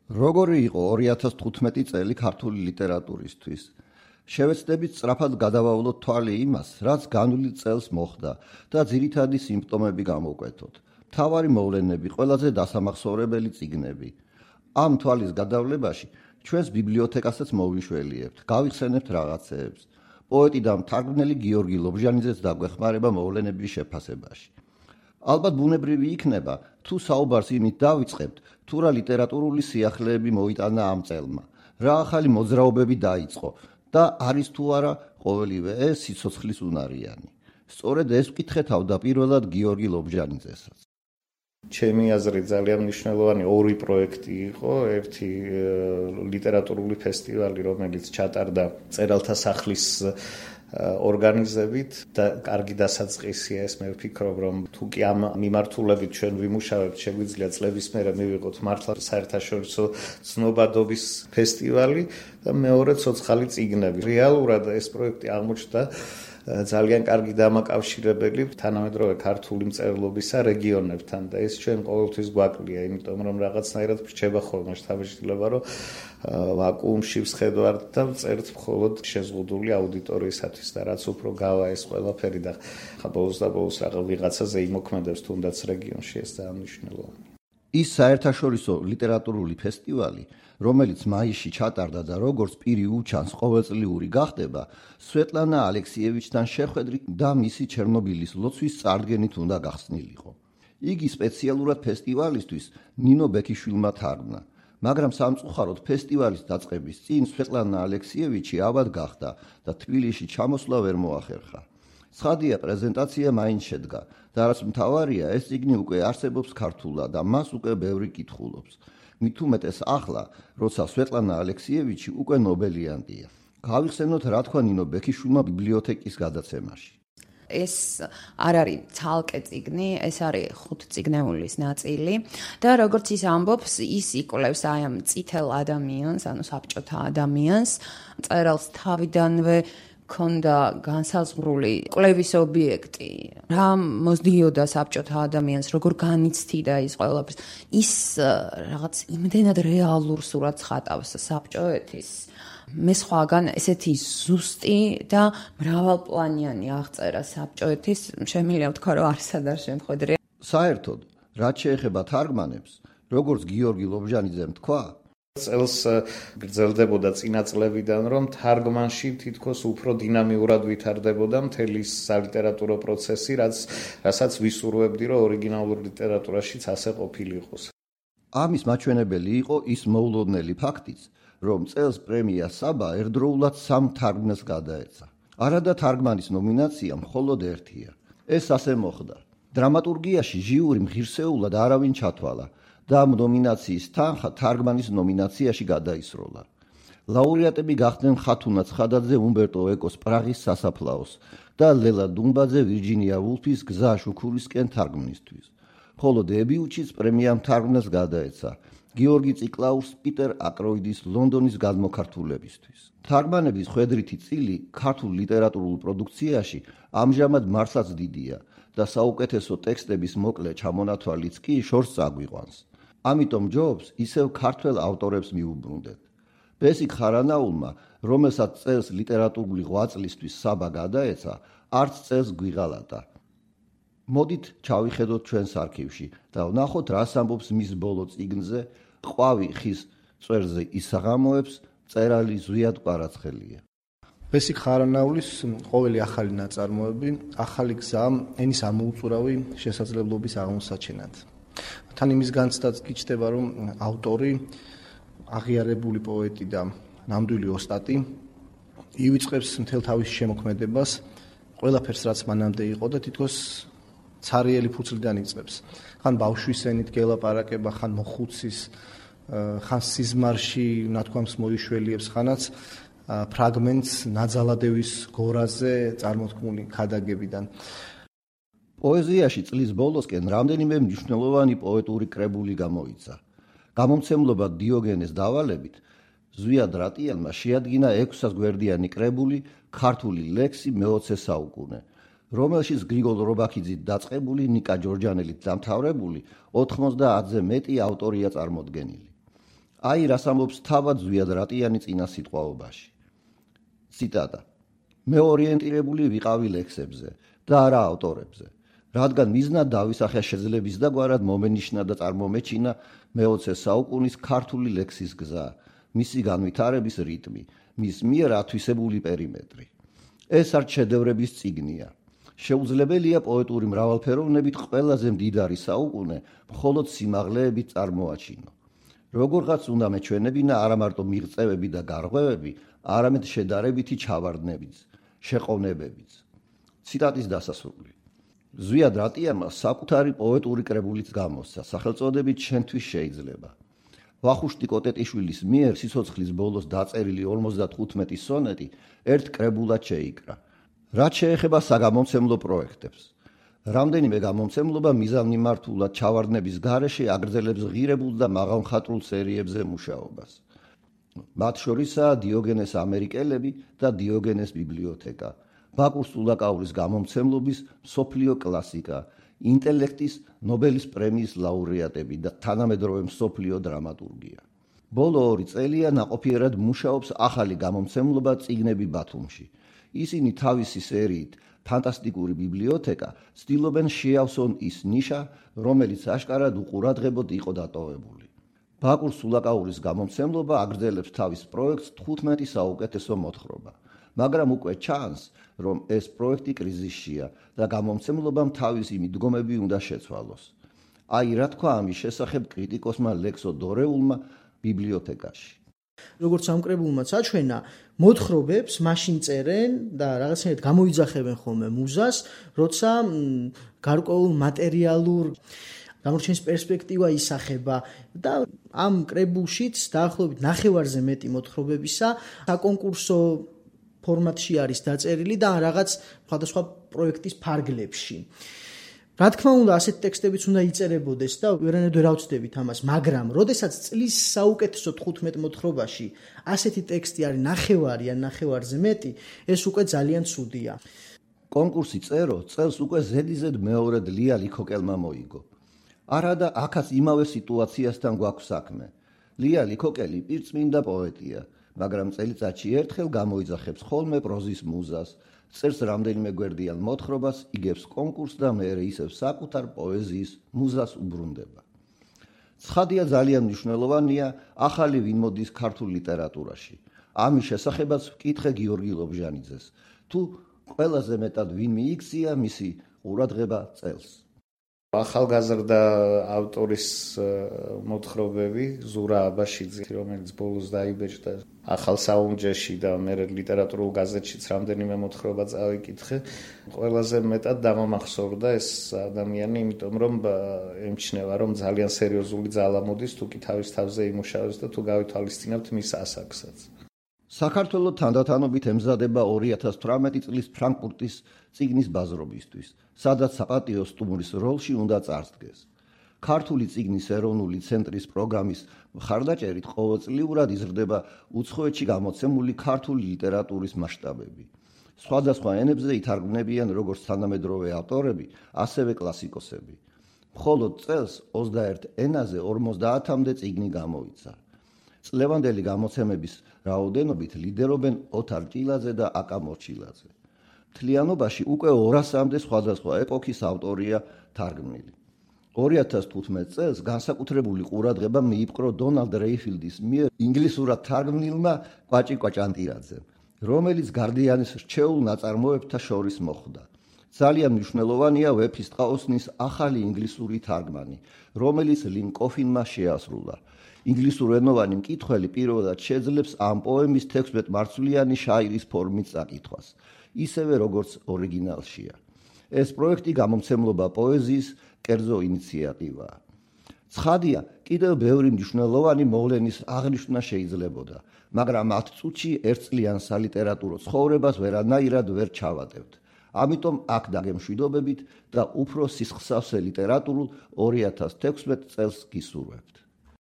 როგორი იყო 2015 წელი ქართული ლიტერატურისთვის? შევეცდებით სწრაფად გადავავლოთ თვალი იმას, რაც განვლილ წელს მოხდა და ძირითადი სიმპტომები გამოვკვეთოთ. მთავარი მოვლენები, ყველაზე დასამახსოვრებელი წიგნები. ამ თვალის გადავლებაში ჩვენს ბიბლიოთეკასაც მოვიშველიებთ, გავიხსენებთ რაღაცეებს. პოეტი და მთარგმნელი გიორგი ლობჟანიძეც დაგვეხმარება მოვლენების შეფასებაში. ალბათ ბუნებრივი იქნება, თუ საუბარს იმით დავიწყებთ, თუ რა ლიტერატურული სიახლეები მოიტანა ამ წელმა, რა ახალი მოძრაობები დაიწყო და არის თუ არა ყოველივე ეს სიცოცხლის უნარიანი. სწორედ ეს ვკითხე თავდაპირველად გიორგი ლობჟანიძესაც. ჩემი აზრით ძალიან მნიშვნელოვანი ორი პროექტი იყო, ერთი ლიტერატურული ფესტივალი, რომელიც ჩატარდა წერალთა სახლის ორგანიზებით და კარგი დასაწყისია ეს, მე ვფიქრობ, რომ თუ კი ამ მიმართულებით ჩვენ ვიმუშავებთ, შეგვიძლია წლების მერე მივიღოთ მართლა საერთაშორისო ცნობადობის ფესტივალი და მეორე ცოცხალი წიგნები. რეალურად ეს პროექტი აღმოჩნდა ძალიან კარგი დამაკავშირებელი თანამედროვე ქართული მწერლობისა რეგიონებთან და ეს ჩვენ ყოველთვის გვაკლია, იმიტომ რომ რაღაცნაირად რჩება ხოლმე შთაბეჭდილება, რომ ვაკუუმში ვსხედავთ და წერთ მხოლოდ შეზღუდული აუდიტორიისათვის და რაც უფრო გავა ეს ყველაფერი და ხა ბოლოს და ბოლოს ვიღაცაზე იმოქმედებს თუნდაც რეგიონში, ეს ძალიან მნიშვნელოვანია. ის საერთაშორისო ლიტერატურული ფესტივალი, რომელიც მაისში ჩატარდა და როგორც პირი უჩანს ყოველწლიური გახდება, სვეტლანა ალექსიევიჩთან შეხვედრით და მისი ჩერნობილის ლოცვის წარდგენით უნდა გახსნილიყო. იგი სპეციალურად ფესტივალისთვის ნინო ბექიშვილმა თარგმნა, მაგრამ სამწუხაროდ ფესტივალის დაწყების წინ სვეტლანა ალექსიევიჩი ავად გახდა და თბილისში ჩამოსვლა ვერ მოახერხა. ცხადია, პრეზენტაცია მაინც შედგა და რაც მთავარია, ეს წიგნი უკვე არსებობს ქართულად და მას უკვე ბევრი კითხულობს. მით უმეტეს ახლა, როცა სვეტლანა ალექსიევიჩი უკვე ნობელიანტია. გავიხსენოთ, რა თქვა ნინო ბექიშვილმა ბიბლიოთეკის გადაცემაში. ეს არ არის ცალკე წიგნი, ეს არის 5 წიგნეულის ნაწილი და როგორც ის ამბობს, ის იკვლევს აი ამ წითელ ადამიანს, ანუ საბჭოთა ადამიანს, წერალს თავიდანვე ქონდა განსაზღვრული კვლევის ობიექტი, რა მოსდიოდა საბჭოთა ადამიანს, როგორ განიცდიდა ის ყველაფერს. ის რაღაც იმდენად რეალურ სურათს ხატავს საბჭოეთის. მე სხვაგან ესეთი ზუსტი და მრავალპლანიანი აღწერა საბჭოეთის, შემიძლია ვთქვა, რომ არსად არ შემხედრია. საერთოდ, რაც შეეხება თარგმანებს, როგორც გიორგი ლობჟანიძემ თქვა, წელს გრძელდებოდა წინა წლებიდან, რომ თარგმანში თითქოს უფრო დინამიურად ვითარდებოდა მთელი სალიტერატურო პროცესი, რასაც ვისურვებდი, რომ ორიგინალურ ლიტერატურაშიც ასე ყოფილიყოს. ამის მაჩვენებელი იყო ის მოულოდნელი ფაქტიც, რომ წელს პრემია საბა ერთდროულად 3 თარგმნელს გადაეცა. არადა თარგმანის ნომინაცია მხოლოდ ერთია. ეს ასე მოხდა. დრამატურგიაში ჟიურიმ ღირსეულად არავინ ჩათვალა და ამ ნომინაციის თანხა თარგმანის ნომინაციაში გადაისროლა. ლაურეატები გახდნენ ხათუნა ცხადაძე უმბერტო ეკოს პრაღის სასაფლაოს და ლელა დუმბაძე ვირჯინია ვულფის გზა შუქურისკენ თარგმნისთვის. ხოლო დებიუტშიც პრემიამ თარგმნელს გადაეცა გიორგი ციკლაურს პიტერ აკროიდის ლონდონის გადმოქართულებისთვის. თარგმანების ხვედრითი წილი ქართულ ლიტერატურულ პროდუქციაში ამჟამად მართლაც დიდია და საუკეთესო ტექსტების მოკლე ჩამონათვალიც კი შორს წაგვიყვანს. ამიტომ ჯობს ისევ ქართველ ავტორებს მიუბრუნდეთ. ბესიკ ხარანაულმა, რომელსაც წელს ლიტერატურული ღვაწლისთვის საბა გადაეცა, არც წელს გვიღალატა. მოდით ჩავიხედოთ ჩვენს არქივში და ვნახოთ, რას ამბობს მის ბოლო წიგნზე ყვავი ხის წვერზე ისაღამოებს წერალი ზვიად კვარაცხელია. ბესიკ ხარანაულის ყოველი ახალი ნაწარმოები, ახალი გზა ენის ამოუწურავი შესაძლებლობის აღმოსაჩენად. თან იმის განცდაც გიჩნდება, რომ ავტორი, აღიარებული პოეტი და ნამდვილი ოსტატი ივიწყებს მთელ თავის შემოქმედებას, ყველაფერს რაც მანამდე იყო და თითქოს ცარიელი ფურცლიდან იწყებს. ხან ბავშვის ენით გელაპარაკება, ხან მოხუცის, ხან სიზმარში ნათქვამს მოიშველიებს, ხანაც ფრაგმენტს ნაძალადევის გორაზე წარმოთქმული ქადაგებიდან. პოეზიაში წლის ბოლოსკენ რამდენიმე მნიშვნელოვანი პოეტური კრებული გამოიცა. გამომცემლობა დიოგენეს დავალებით, ზვიად რატიანმა შეადგინა 600 გვერდიანი კრებული ქართული ლექსი მე-20 საუკუნე, რომელშიც გრიგოლ რობაქიძით დაწყებული, ნიკა ჯორჯანელით დამთავრებული 90-ზე მეტი ავტორია წარმოდგენილი. აი რას ამბობს თავად ზვიად რატიანი წინა სიტყვაობაში. ციტატა: მე ორიენტირებული ვიყავი ლექსებზე და არა ავტორებზე, რადგან მიზნად დავისახა შეძლების და გვარად მომენიშნა და წარმომეჩინა მე-20 საუკუნის ქართული ლექსის გზა, მისი განვითარების რიტმი, მის მიერ ათვისებული პერიმეტრი. ეს არც შედევრების წიგნია. შეუძლებელია პოეტური მრავალფეროვნებით ყველაზე მდიდარი საუკუნე მხოლოდ სიმაღლეებით წარმოაჩინო. როგორღაც უნდა მეჩვენებინა არა მარტო მიღწევები და გარღვევები, არამედ შედარებითი ჩავარდნებიც, შეყოვნებებიც. ციტატის დასასრული. ზვიად რატიანმა საკუთარი პოეტური კრებულიც გამოსცა, სახელწოდებით „შენთვის შეიძლება“. ვახუშტი კოტეტიშვილის მიერ სიცოცხლის ბოლოს დაწერილი 55 სონეტი ერთ კრებულად შეიკრა. რაც შეეხება საგამომცემლო პროექტებს. რამდენიმე გამომცემლობა მიზანმიმართულად ჩავარდნების გარეშე აგრძელებს ღირებულ და მაღალმხატვრულ სერიებზე მუშაობას. მათ შორისაა დიოგენეს ამერიკელები და დიოგენეს ბიბლიოთეკა, ბაკურ სულაკაურის გამომცემლობის მსოფლიო კლასიკა, ინტელექტის ნობელის პრემიის ლაურეატები და თანამედროვე მსოფლიო დრამატურგია. ბოლო 2 წელია ნაყოფიერად მუშაობს ახალი გამომცემლობა წიგნები ბათუმში. ისინი თავისი სერიით ფანტასტიკური ბიბლიოთეკა ცდილობენ შეავსონ ის ნიშა, რომელიც აშკარად უყურადღებოდ იყო დატოვებული. ბაკურ სულაკაურის გამომცემლობა აგრძელებს თავის პროექტს 15 საუკეთესო მოთხრობა, მაგრამ უკვე ჩანს, რომ ეს პროექტი კრიზისშია და გამომცემლობამ თავისი მიდგომები უნდა შეცვალოს. აი რა თქვა ამის შესახებ კრიტიკოსმა ლექსო დორეულმა ბიბლიოთეკაში. როგორც ამ კრებულმაც აჩვენა, მოთხრობებს მაშინ წერენ და რაღაცნაირად გამოიძახებენ ხოლმე მუზას, როცა გარკვეულ მატერიალურ გამორჩენის პერსპექტივა ისახება და ამ კრებულშიც დაახლოებით 9-ზე მეტი მოთხრობებისა საკონკურსო ფორმატში არის დაწერილი და რაღაც სხვადასხვა პროექტის ფარგლებში. რა თქმა უნდა, ასეთი ტექსტებიც უნდა იწერებოდეს და ვერანაირად ვერ ავწდებით ამას, მაგრამ როდესაც წლის საუკეთესო 15 მოთხრობაში ასეთი ტექსტი არის 9 ან 9-ზე მეტი, ეს უკვე ძალიან ცუდია. კონკურსი წერო წელს უკვე ზედიზედ მეორედ ლია ლიქოკელმა მოიგო. არა და აქაც იმავე სიტუაციასთან გვაქვს საქმე. ლია ლიქოკელი პირწმინდა პოეტია, მაგრამ წელიწადში ერთხელ გამოიძახებს ხოლმე პროზის მუზას, წერს რამდენიმე გვერდიან მოთხრობას, იგებს კონკურსს და მერე ისევ საკუთარ პოეზიის მუზას უბრუნდება. ცხადია, ძალიან მნიშვნელოვანია ახალი ვინ მოდის ქართულ ლიტერატურაში. ამის შესახებაც ვკითხე გიორგი ლობჟანიძეს, თუ ყველაზე მეტად ვინ მიიქცია მისი ყურადღება წელს. ახალგაზრდა ავტორის მოთხრობები, ზურა აბაშიძე, რომელიც ბოლოს დაიბეჭდა ახალ საუნჯეში და მერე ლიტერატურულ გაზეთშიც რამდენიმე მოთხრობა წავიკითხე, ყველაზე მეტად დამამახსოვრდა ეს ადამიანი, იმიტომ რომ ემჩნევა, რომ ძალიან სერიოზული ძალა მოდის, თუ კი თავის თავზე იმუშავებს და თუ გავითვალისწინებთ მის ასაკსაც. საქართველო თანდათანობით ემზადება 2018 წლის ფრანკფურტის წიგნის ბაზრობისთვის, სადაც საპატიო სტუმრის როლში უნდა წარსდგეს. ქართული წიგნის ეროვნული ცენტრის პროგრამის მხარდაჭერით ყოველწლიურად იზრდება უცხოეთში გამოცემული ქართული ლიტერატურის მასშტაბები. სხვადასხვა ენებზე ითარგმნებიან როგორც თანამედროვე ავტორები, ასევე კლასიკოსები. მხოლოდ წელს 21 ენაზე 50-მდე წიგნი გამოიცა. წლევანდელი გამოცემების რაოდენობით ლიდერობენ ოთარ ჭილაძე და აკა მორჩილაძე. მთლიანობაში უკვე 200-მდე სხვადასხვა ეპოქის ავტორია თარგმნილი. 2015 წელს განსაკუთრებული ყურადღება მიიპყრო დონალდ რეიფილდის მიერ ინგლისურად თარგმნილმა კვაჭი კვაჭანტირაძემ, რომელიც გარდიანის რჩეულ ნაწარმოებთა შორის მოხვდა. ძალიან მნიშვნელოვანია ვეფის ტყაოსნის ახალი ინგლისური თარგმანი, რომელიც ლინ კოფინმა შეასრულა. ინგლისურენოვანი მკითხველი პირველად შეძლებს ამ პოემის 16 მარცვლიანი შაირის ფორმით წაკითხვას, ისევე როგორც ორიგინალშია. ეს პროექტი გამომცემლობა პოეზიის კერძო ინიციატივაა. ცხადია, კიდევ ბევრი მნიშვნელოვანი მოვლენის აღნიშვნა შეიძლებოდა, მაგრამ 10 წუთში ერთწლიან სალიტერატურო ცხოვრებას ვერანაირად ვერ ჩავატევთ. ამიტომ აქ დაგემშვიდობებით და უფრო სისხლსავსე ლიტერატურულ 2016 წელს გისურვებთ.